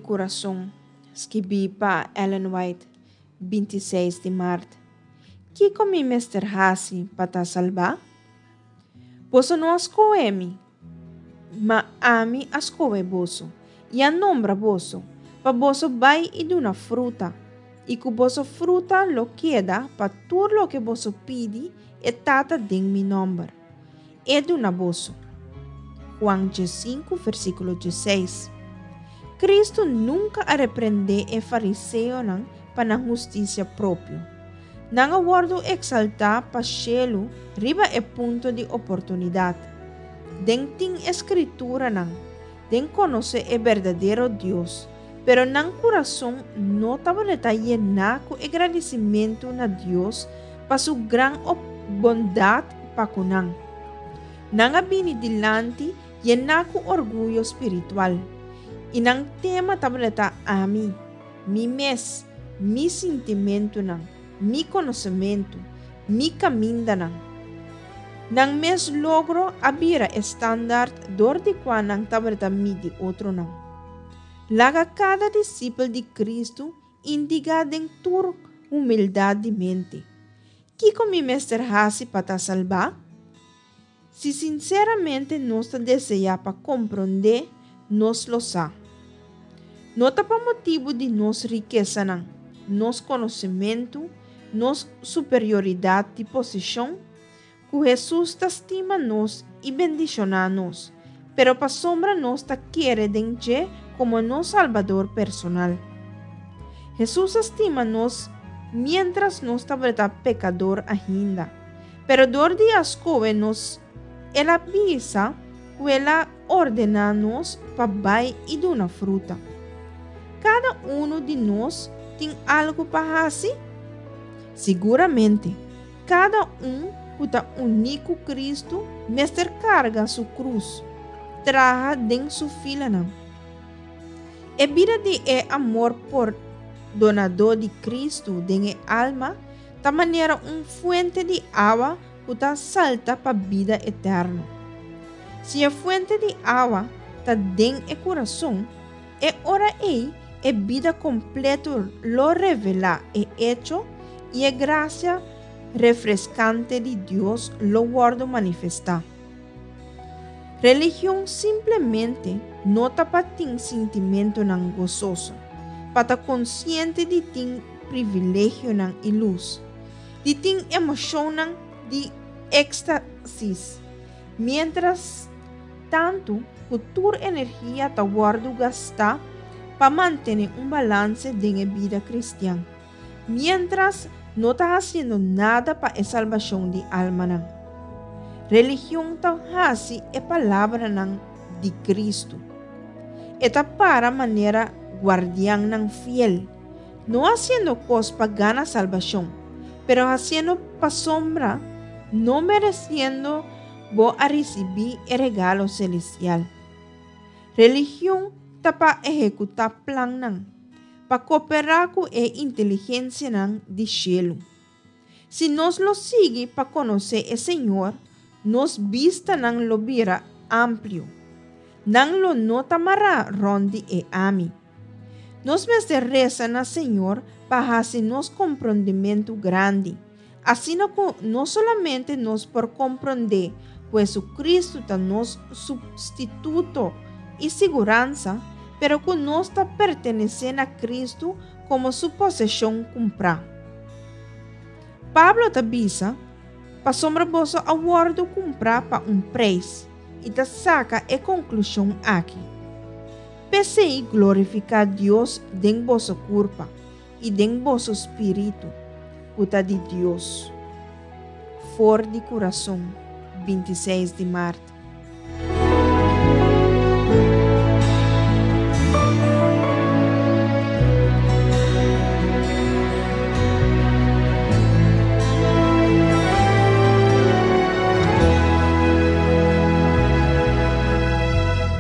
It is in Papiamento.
kurason, skibí pa Ellen White, 26 di mart. Kiko mi mester hasi pa ta salbá? Boso no a skohe mi, ma ami a skohe boso, i a nombra boso, pa boso bai i duna fruta, i ku boso fruta lo keda pa tur loke boso pidi e Tata den mi nòmber, e duna boso. Juan 15, versíkulo 16. Kristu nunka a reprendé e fariseonan pa nan hustisia propio. Nan a wòrdu eksaltá pa shelu riba e punto di oportunidat. Den tin e Skrituranan, den konosé e berdadero Dios, pero nan kurason no tabata yená ku e gradisimentu na Dios pa su gran bondat pa ku nan. Nan a bini dilanti yená ku orguyo spiritual, i nan tema tabata ami, mi mes, mi sintimentunan, mi konosementu, mi kamindanan. Nan mes logro a bira e standaard dor di kua nan tabata midi otronan. Laga kada disipel di Kristu indigá den tur humildat di mente, Kiko mi mester hasi pa ta salbá? Si sinseramente nos ta deseá pa komprondé, nos lo sa. No ta pa motibu di nos rikesanan, nos konosementu, nos superioridat di posishon, ku Hesus ta stima nos i bendishoná nos, pero pasobra nos ta kere den dje komo nos Salbador personal. Hesus a stima nos miéntras nos tabata pekador ainda, pero dor di a skohe nos el a bisa ku el a ordená nos pa bai i duna fruta. Kada unu di nos tin algu pa hasi? Siguramente, kada un ku ta uní ku Kristu mester karga su krus, traha den su filanan. E bida di e amor pordonadó di Kristu den e alma ta manera un fuente di awa ku ta salta pa bida eterno. Si e fuente di awa ta den e kurason, e ora ei e bida kompleto lo revelá e echo i e grasia refreskante di Dios lo wòrdu manifestá. Religion simplemente no ta pa tin sintimentunan gososo, pa ta konsiente di tin privilegionan i lus, di tin emoshonnan di ékstasis, miéntras tantu ku tur energia ta wòrdu gastá pa mantené un balanse den e bida kristian, miéntras no ta hasiendo nada pa e salbashon di almanan. Religion ta hasi e palabranan di Kristu. E ta para manera guardiannan fiel, no hasiendo kos pa gana salbashon, pero hasiendo pasobra no meresiendo bo a risibí e regalo selestial. Religion ta pa ehekutá plannan, pa koperá ku e inteligensianan di shelu. Si nos lo sigui pa konosé e Señor, nos bistanan lo bira amplio. Nan lo no ta mará rònt di e ami. Nos mester resa na Señor pa hasi nos komprondementu grandi, asina ku no solamente nos por komprondé ku Hesukristu ta nos supstituto i siguransa, pero ku nos ta pertenesé na Kristu komo su poseshon kumprá. Pablo ta bisa, Pasobra boso a wòrdu kumprá pa un preis, i ta saka e konklushon aki, P'esei glorifiká Dios den boso kurpa i den boso spiritu, ku ta di Dios. For di kurason, 26 di mart.